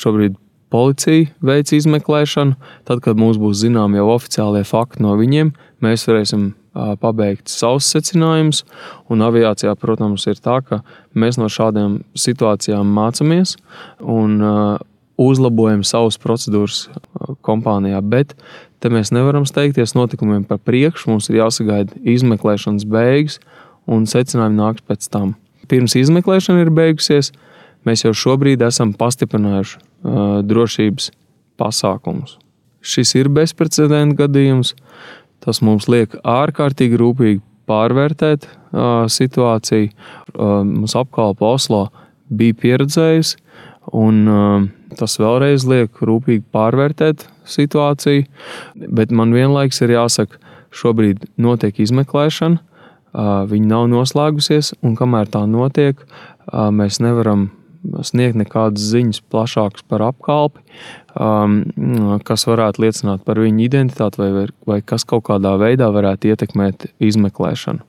Šobrīd policija veic izmeklēšanu. Tad, kad mums būs zinām jau oficiālie fakti no viņiem, mēs varēsim pabeigt savus secinājumus. Un aviācijā, protams, ir tā, ka mēs no šādām situācijām mācāmies un uzlabojam savas procedūras kompānijā. Bet te mēs nevaram steigties notikumiem par priekšu. Mums ir jāsagaida izmeklēšanas beigas un secinājumi nāks pēc tam. Pirms izmeklēšana ir beigusies, mēs jau šobrīd esam pastiprinājuši drošības pasākumus. Šis ir bezprecedenta gadījums. Tas mums liek ārkārtīgi rūpīgi pārvērtēt situāciju. Mums apkalpe Oslo bija pieredzējusi, un tas vēlreiz liek rūpīgi pārvērtēt situāciju. Bet man vienlaiks ir jāsaka, šobrīd notiek izmeklēšana, viņa nav noslēgusies, un kamēr tā notiek, mēs nevaram sniegt nekādas ziņas plašākas par apkalpi, kas varētu liecināt par viņu identitāti vai kas kaut kādā veidā varētu ietekmēt izmeklēšanu.